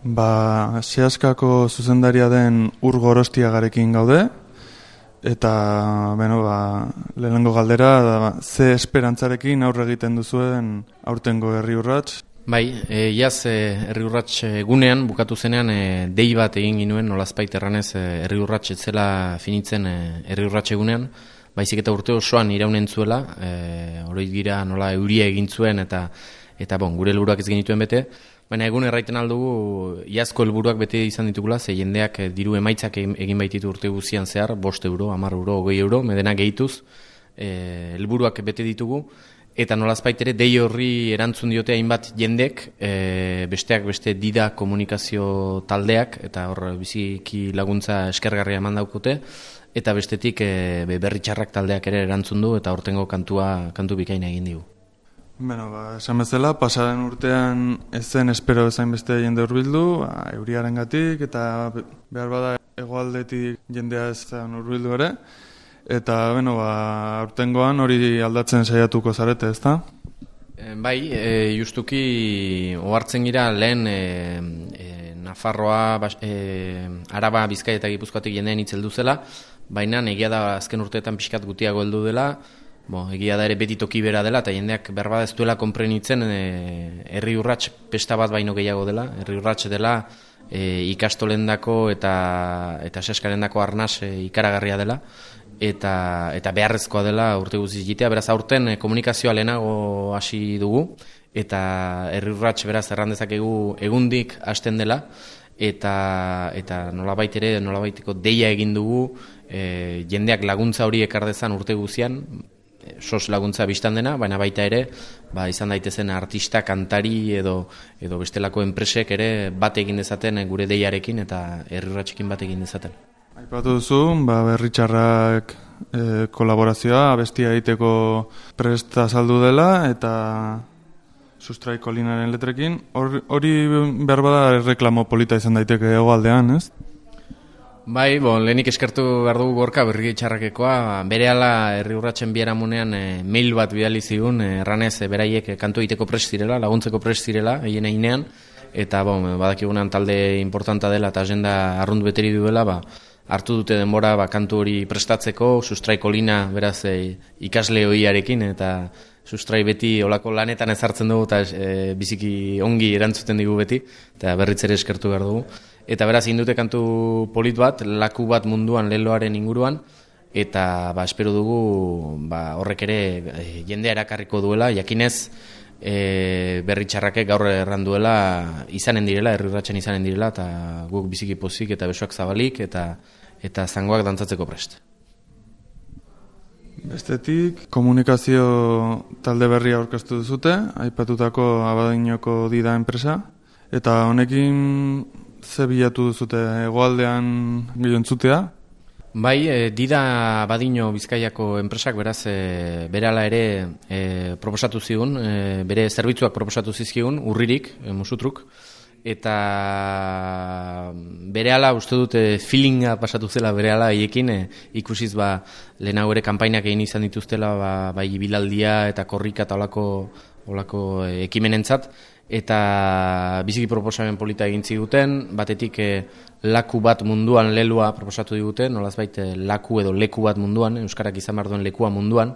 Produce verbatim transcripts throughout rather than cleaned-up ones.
Ba, Seaskako zuzendaria den Ur Gorostiagarekin gaude, eta, beno, ba, lehenengo galdera, da, ze esperantzarekin aurre egiten duzuen aurtengo Herri Urrats? Bai, e, iaz e, Herri Urrats egunean, bukatu zenean, e, dei bat egin ginuen, nolazpait erranez, e, Herri Urrats etzela finitzen e, Herri Urrats egunean, baizik eta urte osoan iraunen zuela, e, oroit gira nola euria egin zuen, eta, eta bon, gure helburuak ez genituen bete, baina egun erraiten aldugu, iazko helburuak bete izan ditugula, ze jendeak e, diru emaitzak egin baititu urte guzian zehar, bost euro, hamar euro, hogei euro, medena gehituz, e, helburuak bete ditugu, eta nolazpait ere dei horri erantzun diote hainbat jendek, e, besteak beste dida komunikazio taldeak, eta hor biziki laguntza eskergarria eman daukute, eta bestetik e, berri txarrak taldeak ere erantzun du, eta hortengo kantua, kantu bikaina egin digu. Beno, ba, esan bezala, pasaren urtean ez zen espero bezain beste jende hurbildu, ba, euriaren gatik, eta behar bada hegoaldetik jendea ez zen hurbildu ere, eta, beno, ba, aurtengoan hori aldatzen saiatuko zarete, ezta? E, bai, e, justuki ohartzen gira lehen e, e, Nafarroa, bas, e, Araba, Bizkaia eta Gipuzkoatik jendeen itzeldu zela, baina egia da azken urteetan pixkat gutiago heldu dela, Bo, egia da ere beti toki bera dela, eta jendeak berbada ez duela konprenitzen e, Herri Urrats pesta bat baino gehiago dela. Herri Urrats dela e, ikastolendako eta eta seskarendako arnas e, ikaragarria dela, eta eta beharrezkoa dela urte guztiz egitea. Beraz aurten e, komunikazioa lehenago hasi dugu, eta Herri Urrats beraz erran dezakegu egundik hasten dela, eta eta nolabait ere nolabaiteko deia egin dugu e, jendeak laguntza hori ekar dezan urte guztian, sos laguntza biztan dena, baina baita ere, ba, izan daitezen artista, kantari edo edo bestelako enpresek ere bat egin dezaten gure deiarekin eta Herri Urratsekin bat egin dezaten. Aipatu duzu, ba, Berri Txarrak e, kolaborazioa, abestia egiteko prest azaldu dela, eta Sustrai Kolinaren letrekin, hori behar bada reklamo polita izan daiteke hegoaldean, ez? Bai, bon, lehenik eskertu behar dugu Gorka Berri Txarrakekoa, berehala Herri Urratsen biharamunean e, mail bat bidali zigun, e, erranez e, beraiek kantu egiteko prest zirela, laguntzeko prest zirela, egin einean, eta bon, badakigunan talde importanta dela eta agenda arrundu beteri duela, ba, hartu dute denbora ba, kantu hori prestatzeko, Sustrai Kolina beraz e, ikasle hoiarekin, eta Sustrai beti olako lanetan ezartzen dugu, eta e, biziki ongi erantzuten digu beti, eta berriz ere eskertu behar dugu. Eta beraz, indute kantu polit bat, laku bat munduan leloaren inguruan, eta ba, espero dugu ba, horrek ere e, jendea erakarriko duela, jakinez e, Berri Txarrakek gaur erranduela izanen direla, Herri Urratsen izanen direla, eta guk biziki pozik eta besoak zabalik, eta eta zangoak dantzatzeko prest. Bestetik, komunikazio talde berria aurkeztu duzute, aipatutako Abadiñoko Dida enpresa, eta honekin ze bilatu duzute hegoaldean gehientzutea? Bai, e, Dida Abadiño Bizkaiako enpresak beraz e, berehala ere e, proposatu zigun, e, bere zerbitzuak proposatu zizkigun, urririk, e, musutruk, eta berehala uste dut e, feelinga pasatu zela berehala haiekin, e, ikusiz ba, lehenago ere kanpainak egin izan dituztela ba, bai bilaldia eta korrika eta olako, olako e, ekimenentzat, eta biziki proposamen polita egin ziguten, batetik e, laku bat munduan lelua proposatu diguten, nolazbait e, laku edo leku bat munduan, euskarak izan behar duen lekua munduan,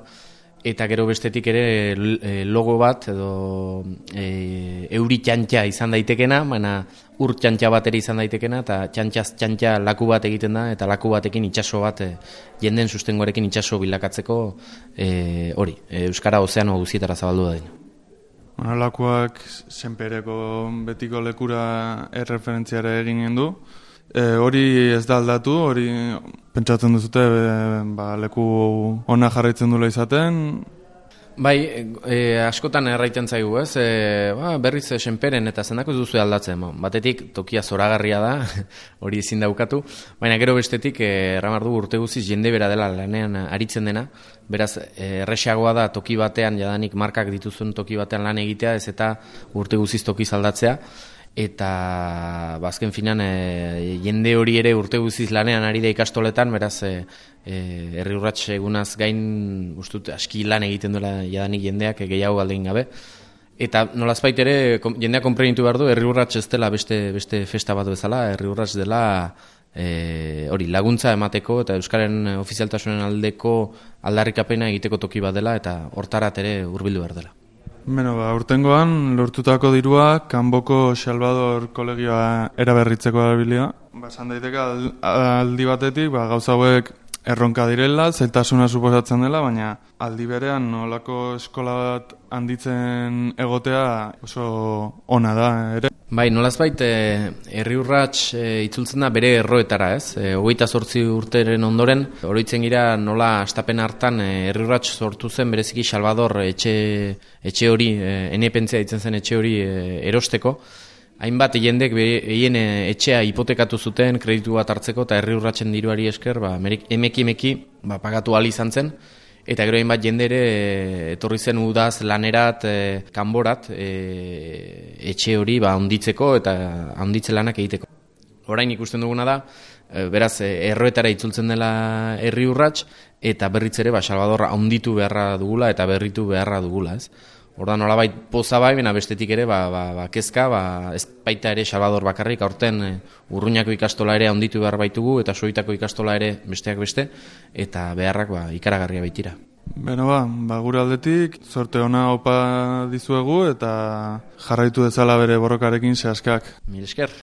eta gero bestetik ere e, logo bat edo e, euri txantxa izan daitekena, baina ur txantxa bat ere izan daitekena, eta txantxaz txantxa laku bat egiten da, eta laku batekin itsaso bat, e, jenden sustengoarekin itsaso bilakatzeko e, hori, e, euskara ozeano guzietara zabaldu da dena. Lakuak senpereko betiko lekura erreferentziare eginen du. E, hori ez da aldatu, hori pentsatzen duzute e, ba, leku ona jarraitzen dula izaten. Bai, e, askotan erraiten zaigu, ez? E, ba, berriz senperen eta zendako ez duzu aldatzen. Ba, batetik tokia zoragarria da, hori ezin daukatu, baina gero bestetik e, erramar du urte guziz jende bera dela lanean aritzen dena, beraz e, erresagoa da toki batean, jadanik markak dituzun toki batean lan egitea, ez eta urte guziz toki aldatzea, eta bazken finan e, jende hori ere urte guziz lanean ari da ikastoletan, beraz e, e, Herri Urrats egunaz gain ustut aski lan egiten duela jadanik jendeak e, gehiago galdein gabe, Eta nolazbait ere jendea konprenitu behar du, herri urrats ez dela beste, beste festa bat bezala, herri urrats dela e, hori laguntza emateko eta Euskaren ofizialtasunen aldeko aldarrikapena egiteko toki bat dela eta hortarat ere hurbildu behar dela. Beno, ba, urtengoan lortutako dirua Kanboko Salvador kolegioa eraberritzeko erabilia. Ba, esan daiteke aldi batetik, ba, gauza hauek erronka direla, zailtasuna suposatzen dela, baina aldi berean nolako eskola bat handitzen egotea oso ona da ere. Bai, nolazbait herri urrats e, itzultzen da bere erroetara, ez? E, hogeita zortzi urteren ondoren, oroitzen gira nola astapen hartan herri urrats sortu zen bereziki Salvador etxe, etxe hori, e, enepentzia ditzen zen etxe hori e, erosteko. Hainbat jendek behien etxea hipotekatu zuten kreditu bat hartzeko eta herri urratsen diruari esker ba, emeki emeki ba, pagatu ahal izan zen. Eta gero hainbat jende ere etorri zen udaz lanerat, e, kanborat, e, etxe hori ba, onditzeko eta onditze lanak egiteko. Orain ikusten duguna da, e, beraz erroetara itzultzen dela herri urrats eta berriz ere ba, Salvador onditu beharra dugula eta berritu beharra dugula, ez? Ordan nolabait poza bai, bena bestetik ere, ba, ba, ba, kezka, ba, ez baita ere Salvador bakarrik, aurten e, Urruñako ikastola ere handitu behar baitugu, eta Soitako ikastola ere besteak beste, eta beharrak ba, ikaragarria baitira. Beno ba, ba, gure aldetik, sorte ona opa dizuegu, eta jarraitu dezala bere borrokarekin zehaskak. Mil esker.